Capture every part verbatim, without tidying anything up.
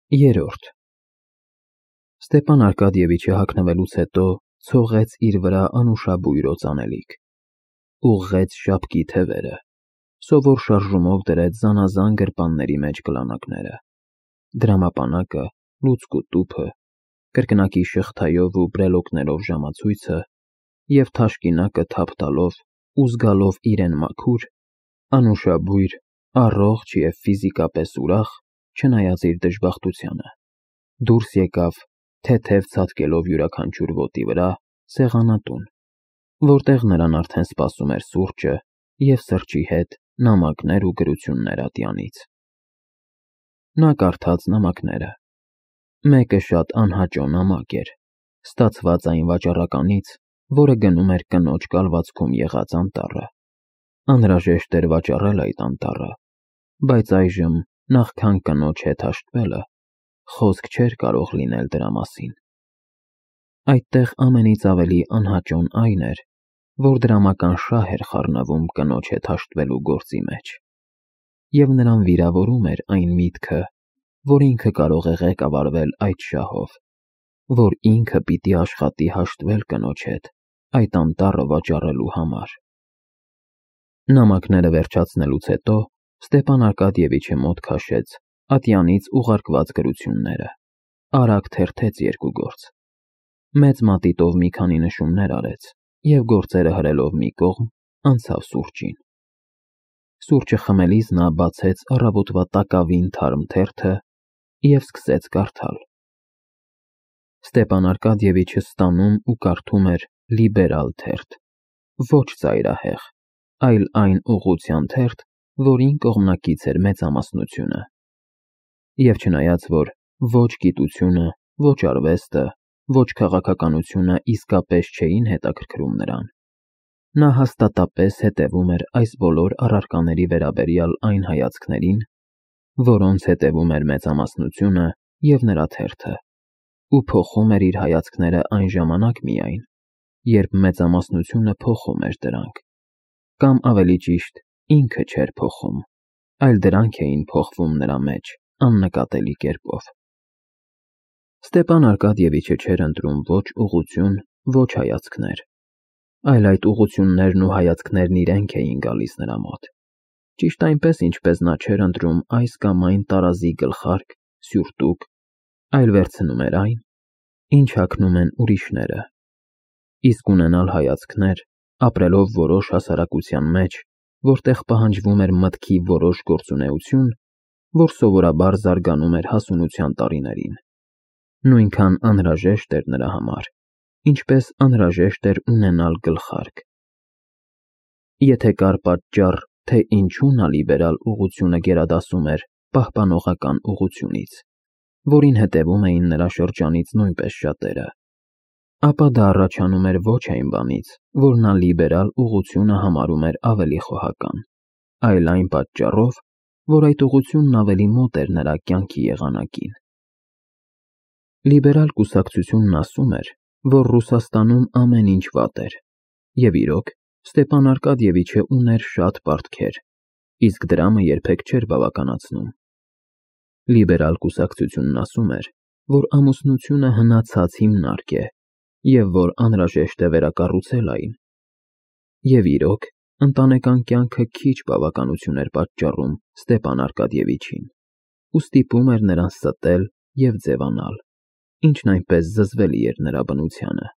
Երրորդ Ստեփան Արկադիևիչը հագնվելուց հետո ցողեց իր վրա անուշաբույր օծանելիք, ուղղեց շապկի թևերը, սովոր շարժումով դրեց զանազան գրպանների մեջ կլանակները, դրամապանակը, լուցկու տուփը, կրկնակի շղթայով ու բրելոկներով ժամացույցը և թաշկինակը թափ տալով ու զգալով իրեն մաքուր, անուշաբույր, առողջ և ֆիզիկապես ուրախ, չնայած իր դժբախտությանը, դուրս եկավ, թեթև ցատկելով յուրաքանչյուր ոտի վրա, սեղանատուն, որտեղ նրան արդեն սպասում էր սուրճը և սրճի հետ նամակներ ու գրություններ ատյանից։ Նա կարդաց նամակները։ Մեկը շատ անհաճո նամակ էր, ստացված այն վաճառականից, որը գնում էր կնոջ կալվածքում եղած անտառը։ Անհրաժեշտ էր վաճառել այդ անտառը, բայց այժմ, նախքան կնոջ հետ հաշտվելը, խոսք չէր կարող լինել դրա մասին։ Այդտեղ ամենից ավելի անհաճոն այն էր, որ դրամական շահ էր խառնվում կնոջ հետ հաշտվելու գործի մեջ, և նրան վիրավորում էր այն միտքը, որ ինքը կարող է ղեկավարվել այդ շահով, որ ինքը պիտի աշխատի հաշտվել կնոջ հետ այդ անտառը վաճառելու համար։ Նամակները վերջացնելուց հետո Ստեփան Արկադիևիչը մոտ քաշեց ատյանից ուղարկված գրությունները, արագ թերթեց երկու գործ, մեծ մատիտով մի քանի նշումներ արեց և գործերը հրելով մի կողմ, անցավ սուրճին։ Սուրճը խմելիս նա բացեց առավոտվա տակավին թարմ թերթը և սկսեց կարդալ։ Ստեփան Արկադիևիչը ստանում ու կարդում էր լիբերալ թերթ, ոչ ծայրահեղ, այլ այն ուղղության թերթ, որին կողմնակից էր մեծամասնությունը։ Եվ չնայած, որ ոչ գիտությունը, ոչ արվեստը, ոչ քաղաքականությունը իսկապես չէին հետաքրքրում նրան, նա հաստատապես հետևում էր այս բոլոր առարկաների վերաբերյալ այն հայացքներին, որոնց հետևում էր մեծամասնությունը և նրա թերթը, ու փոխում էր իր հայացքները այն ժամանակ միայն, երբ մեծամասնությունը փոխում էր դրանք, կամ ավելի ճիշտ, ինքը չէր փոխում, այլ դրանք էին փոխվում նրա մեջ աննկատելի կերպով։ Ստեփան Արկադիևիչը չէր ընտրում ոչ ուղղություն, ոչ հայացքներ, այլ այդ ուղղություններն ու հայացքներն իրենք էին գալիս նրա մոտ, ճիշտ այնպես, ինչպես նա չէր ընտրում այս կամ այն տարազի գլխարկ, սյուրտուկ, այլ վերցնում էր այն, ինչ հագնում են ուրիշները, իսկ ունենալ հայացքներ, ապրելով որոշ հասարակության մեջ, որտեղ պահանջվում էր մտքի որոշ գործունեություն, որ սովորաբար զարգանում էր հասունության տարիներին, նույնքան անհրաժեշտ էր նրա համար, ինչպես անհրաժեշտ էր ունենալ գլխարկ։ Եթե կար պատճառ, թե ինչու նա լիբերալ ուղղությունը գերադասում էր պահպանողական ուղղությունից, որին հետևում էին նրա շրջանից նույնպես շատերը, ապա դա առաջանում էր ոչ այն բանից, որ նա լիբերալ ուղղությունը համարում էր ավելի խոհական, այլ այն պատճառով, որ այդ ուղղությունն ավելի մոտ էր նրա կյանքի եղանակին։ Լիբերալ կուսակցությունն ասում էր, որ Ռուսաստանում ամեն ինչ վատ էր, և իրոք, Ստեփան Արկադիևիչը ուներ շատ պարտքեր, իսկ դրամը երբեք չէր բավականացնում։ Լիբերալ կուսակցությունն ասում էր, որ ամուսնությունը հնացած հիմնարկ է, և որ անհրաժեշտ է վերակառուցել այն։ Եվ իրոք, ընտանեկան կյանքը քիչ բավականություն էր պատճառում Ստեփան Արկադիևիչին, ու ստիպում էր նրան ստել և ձևանալ, ինչն այնպես զզվելի էր նրա բնությանը։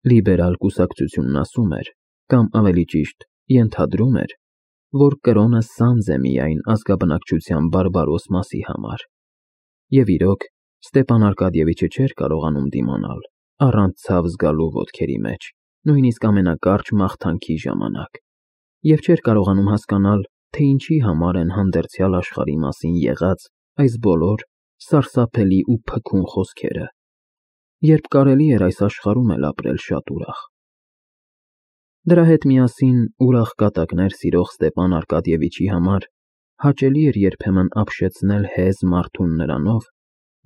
Լիբերալ կուսակցությունն ասում էր, կամ ավելի ճիշտ, ենթադրում էր, որ կրոնը սանձ է միայն ազգաբնակչության բարբարոս մասի համար, և իրոք, Ստեփան Արկադիևիչը չէր կարողանում դիմանալ, առանց ցավ զգալու ոտքերի մեջ, նույնիսկ ամենակարճ մաղթանքի ժամանակ, և չէր կարողանում հասկանալ, թե ինչի համար են հանդերձյալ աշխարհի մասին եղած այս բոլոր սարսափելի ու փքուն խոսքերը, երբ կարելի էր այս աշխարհում էլ ապրել շատ ուրախ։ Դրա հետ միասին ուրախ կատակներ սիրող Ստեփան Արկադիևիչի համար հաճելի էր երբեմն ապշեցնել հեզ մարդուն նրանով,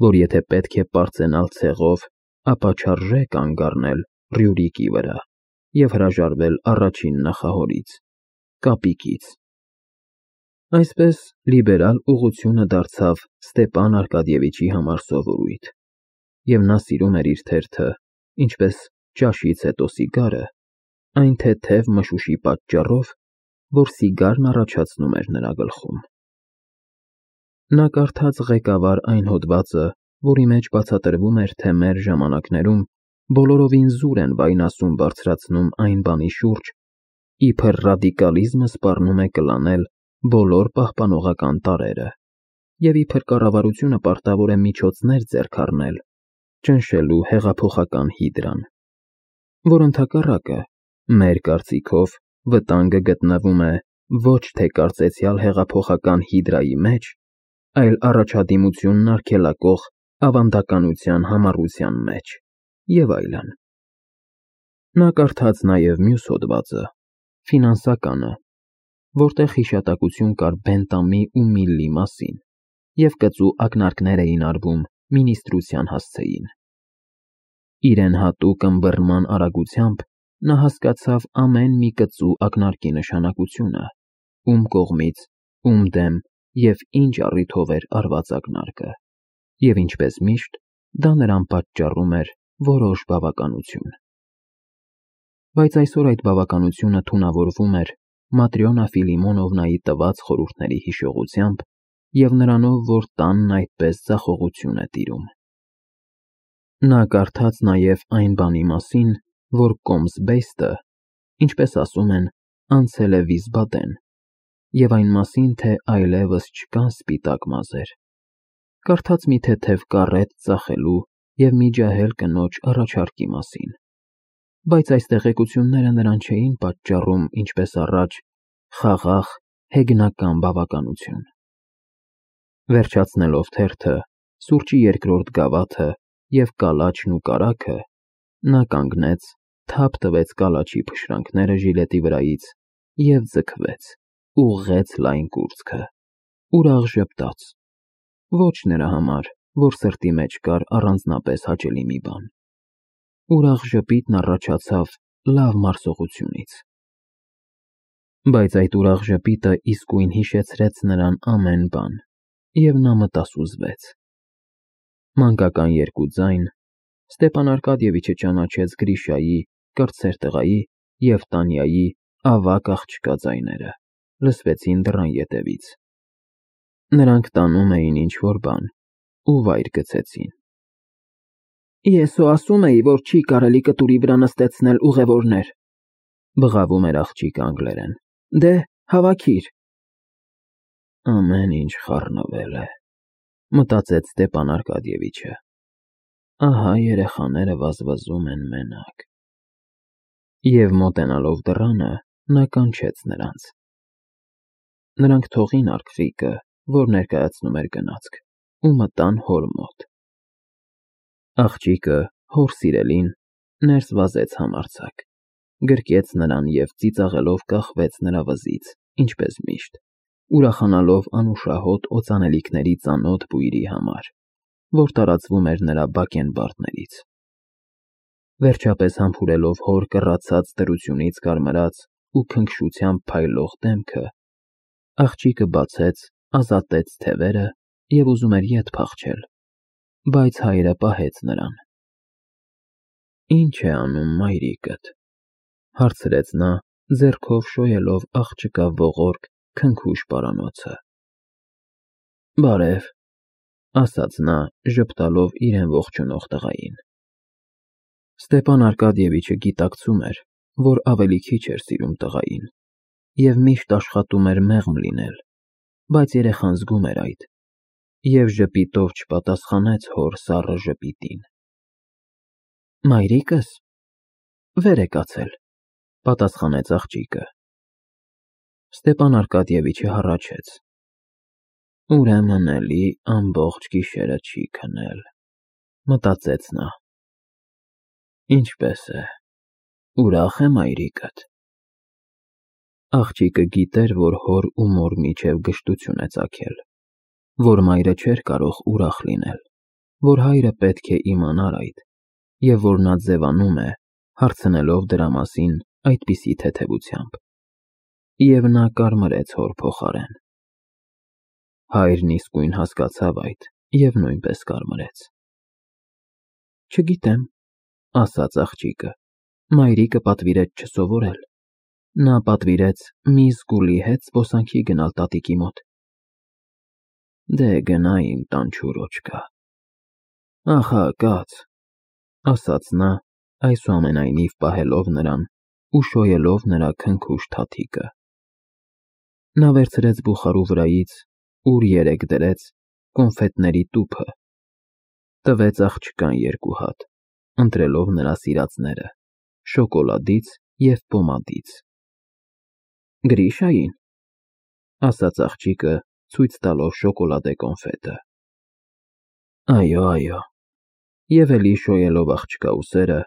որ եթե պետք է պարծենալ ցեղով, ապա չարժե կանգ առնել Ռյուրիկի վրա և հրաժարվել առաջին նախահորից՝ կապիկից։ Այսպես լիբերալ ուղղությունը դարձավ Ստեպան Արկադիևիչի համար սովորույթ, և նա սիրում էր իր թերթը, ինչպես ճաշից հետո սիգարը, այն թեթև մշուշի պատճառով, որ սիգարն առաջացնում էր նրա գլխում։ Նա կարդաց ղեկավար այն հոդվածը, որի մեջ բացատրվում էր, թե մեր ժամանակներում բոլորովին զուր են վայնասուն բարձրացնում այն բանի շուրջ, իբր ռադիկալիզմը սպառնում է կլանել բոլոր պահպանողական տարրերը, և իբր կառավարությունը պարտավոր է միջոցներ ձեռք առնել ճնշելու հեղափոխական հիդրան, որ ընդհակառակը, մեր կարծիքով, վտանգը գտնվում է ոչ թե կարծեցյալ հեղափոխական հիդրայի մեջ, այլ առաջադիմությունն արգելակող ավանդականության համառության մեջ, և այլն։ Նա կարդաց նաև մյուս հոդվածը, ֆինանսականը, որտեղ հիշատակություն կար Բենտամի ու Միլլի մասին, և կծու ակնարկներ էին արվում մինիստրության հասցեին։ Իրեն հատուկ ըմբռնման արագությամբ նա հասկացավ ամեն մի կծու ակնարկի նշանակությունը, ում կողմից, ում դեմ և ինչ առիթով էր արված ակնարկը, և ինչպես միշտ, դա նրան պատճառում էր որոշ բավականություն։ Բայց այսօր այդ բավականությունը թունավորվում էր Матрյոնա Ֆիլիմոնովնայի տված խորհուրդների հիշողությամբ և նրանով, որ տանն այդպես ձախողություն է տիրում։ Նա կարդաց նաև այն բանի մասին, որ կոմսբեյստը, ինչպես ասում են, անցել է Վիսբադեն, և այն մասին, թե այլևս չկան սպիտակ մազեր, կարդաց մի թեթև կառետ ծախելու և մի ջահել կնոջ առաջարկի մասին, բայց այս տեղեկությունները նրան չէին պատճառում, ինչպես առաջ, խաղաղ, հեգնական բավականություն։ Վերջացնելով թերթը, սուրճի երկրորդ գավաթը և կալաչն ու կարագը, նա կանգնեց, թափ տվեց կալաչի փշրանքները ժիլետի վրայից և ձգվեց, ուղղեց լայն կուրծքը, ուրախ ժպտաց, ոչ նրա համար, որ սրտի մեջ կար առանձնապես հաճելի մի բան։ Ուրախ ժպիտն առաջացավ լավ մարսողությունից։ Բայց այդ ուրախ ժպիտը իսկույն հիշեցրեց նրան ամեն բան, և նա մտասուզվեց։ Մանկական երկու ձայն, Ստեպան Արկադիևիչը ճանաչեց Գրիշայի, կրտսեր տղայի և Տանյայի ավագ աղջկա ձայները, լսվեցին դռան ետևից։ Նրանք տանում էին ինչ-որ բան ու վայր գցեցին։ Ես հո ասում էի, որ չի կարելի կտուրի վրա նստեցնել ուղևորներ, բղավում էր աղջիկը անգլերեն, դե, հավաքիր։ Ամեն ինչ խառնվել է, մտածեց Ստեպան Արկադիևիչը, ահա երեխաները վազվզում են մենակ։ Եվ մոտենալով դռանը, նա կանչեց նրանց։ Նրանք թողին արկղիկը, որ ներկայացնում էր գնացք, ու մտան հոր մոտ։ Աղջիկը, հոր սիրելին, ներս վազեց համարձակ, գրկեց նրան և ծիծաղելով կախվեց նրա վզից, ինչպես միշտ, ուրախանալով անուշահոտ օծանելիքների ծանոթ բույրի համար, որ տարածվում էր նրա բակենբարդներից։ Վերջապես համբուրելով հոր կռացած դրությունից կարմրած ու քնքշությամբ փայլող դեմքը, աղջիկը բացեց, ազատեց թևերը և ուզում էր ետ փախչել, բայց հայրը պահեց նրան։ Ի՞նչ է անում մայրիկդ, հարցրեց նա, ձեռքով շոյելով աղջկա ողորկ, քնքուշ պարանոցը։ Բարև, ասաց նա, ժպտալով իրեն ողջունող տղային։ Ստեպան Արկադիևիչը գիտակցում էր, որ ավելի քիչ էր սիրում տղային և միշտ աշխատում էր մեղմ լինել, բայց երեխան զգում էր այդ և ժպիտով չպատասխանեց հոր սառը ժպիտին։ Մայրիկս վեր է կացել, պատասխանեց աղջիկը։ Ստեպան Արկադիևիչը հառաչեց։ Ուրեմն էլի ամբողջ գիշերը չի քնել, մտածեց նա։ Ինչպես է, ուրախ է մայրիկդ։ Աղջիկը գիտեր, որ հոր ու մոր միջև գժտություն է ծագել, որ մայրը չէր կարող ուրախ լինել, որ հայրը պետք է իմանար այդ, և որ նա ձևանում է, հարցնելով դրա մասին այդպիսի թեթևությամբ։ Եվ նա կարմրեց հոր փոխարեն։ Հայրն իսկույն հասկացավ այդ և նույնպես կարմրեց։ Չգիտեմ, ասաց աղջիկը, մայրիկը պատվիրեց չսովորել։ Նա պատվիրեց մի զգուլի հետ զբոսանքի գնալ տատիկի մոտ։ Դե գնա իմ տանջուր Ախա կաց, ասաց նա, այսուամենայնիվ պահելով նրան ու շոյելով նրա քնքուշ թաթիկը։ Նա վերցրեց բուխարու վրայից, ուր երեկ դրեց, կոնֆետների տուփը, տվեց աղջկան երկու հատ, ընտրելով նրա սիրածները՝ շոկոլադից և պոմադից։ Գրիշային, ասաց աղջիկը, ցույց տալով շոկոլադե կոնֆետը։ Այո, այո, և էլի շոյելով աղջկա ուսերը,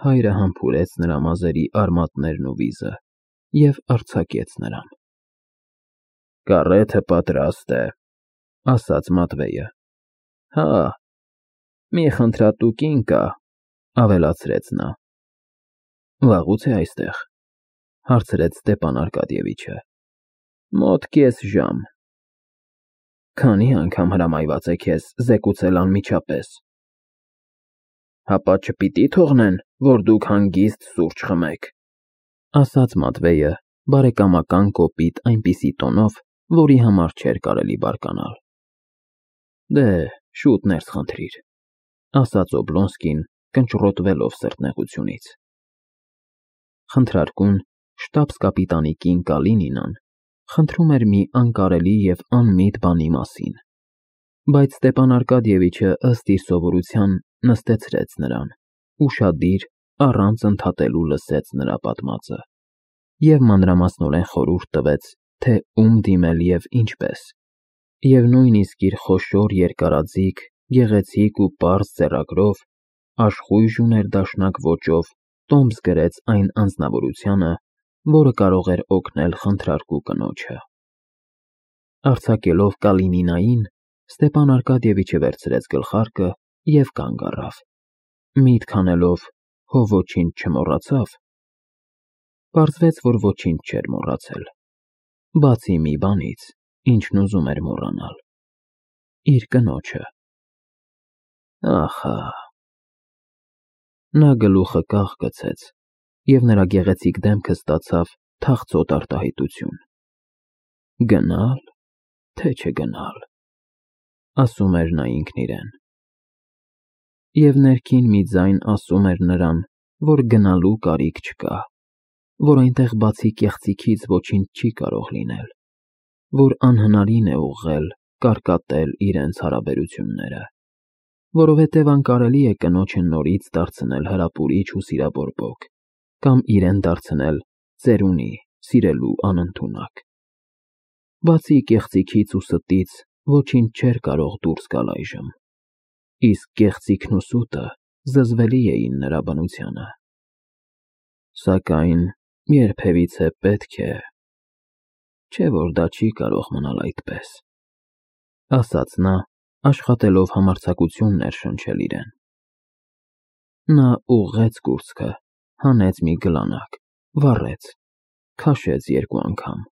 հայրը համբուրեց նրա մազերի արմատներն ու վիզը և արձակեց նրան։ Կառեթը պատրաստ է, ասաց Մատվեյը։ Հա, մի խնդրատու կին կա, ավելացրեց նա։ Վաղուց է այստեղ, հարցրեց Ստեփան Արկադիևիչը։ Մոտ կես ժամ։ Քանի անգամ հրամայված է քեզ զեկուցել անմիջապես։ Հապա չպիտի թողնեն, որ դուք հանգիստ սուրճ խմեք, ասաց Մատվեյը բարեկամական կոպիտ այնպիսի տոնով, որի համար չէր կարելի բարկանալ։ Դե, շուտ ներս խնդրիր, ասաց Օբլոնսկին, կնճռոտվելով սրտնեղությունից։ Խնդրարկուն շտաբս֊կապիտանի կին Կալինինան խնդրում էր մի անկարելի և անմիտ բանի մասին, բայց Ստեփան Արկադիևիչը ըստ իր սովորության նստեցրեց նրան, ուշադիր, առանց ընդհատելու լսեց նրա պատմածը և մանրամասնորեն խորհուրդ տվեց, թե ում դիմել և ինչպես, և նույնիսկ իր խոշոր երկարաձիգ, գեղեցիկ ու պարզ ձեռագրով, աշխույժ ու ներդաշնակ ոճով տոմս գրեց այն անձնավորությանը, որը կարող էր օգնել խնդրարկու կնոջը։ Արձակելով Կալինինային, Ստեփան Արկադիևիչը վերցրեց գլխարկը և կանգ առավ, միտք անելով, հո ոչինչ չմոռացավ։ Պարզվեց, որ ոչինչ չէր մոռացել, բացի մի բանից, ինչն ուզում էր մոռանալ՝ իր կնոջը։ Ախա… Նա գլուխը կախ գցեց, և նրա գեղեցիկ դեմքը ստացավ թախծոտ արտահայտություն։ Գնա՞լ, թե չգնալ, ասում էր նա ինքն իրեն։ Եվ ներքին մի ձայն ասում էր նրան, որ գնալու կարիք չկա, որ այնտեղ բացի կեղծիքից ոչինչ չի կարող լինել, որ անհնարին է ուղղել, կարկատել իրենց հարաբերությունները, որովհետև անկարելի է կնոջը նորից դարձնել հրապուրիչ ու սիրաբորբոք կամ իրեն դարձնել ծերունի, սիրելու անընդունակ։ Բացի կեղծիքից ու ստից ոչինչ չէր կարող դուրս գալ այժմ, իսկ կեղծիքն ու սուտը զզվելի էին նրա բնությանը։ Սակայն երբևիցե պետք է, չէ՞ որ դա չի կարող մնալ այդպես, ասաց նա, աշխատելով համարձակություն ներշնչել իրեն։ Նա ուղղեց կուրծքը, հանեց մի գլանակ, վառեց, քաշեց երկու անգամ,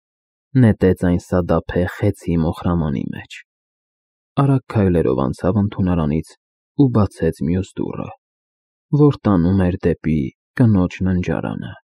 նետեց այն սադափե խեցի մոխրամանի մեջ, արագ քայլերով անցավ ընդունարանից ու բացեց մյուս դուռը, որ տանում էր դեպի կնոջ ննջարանը։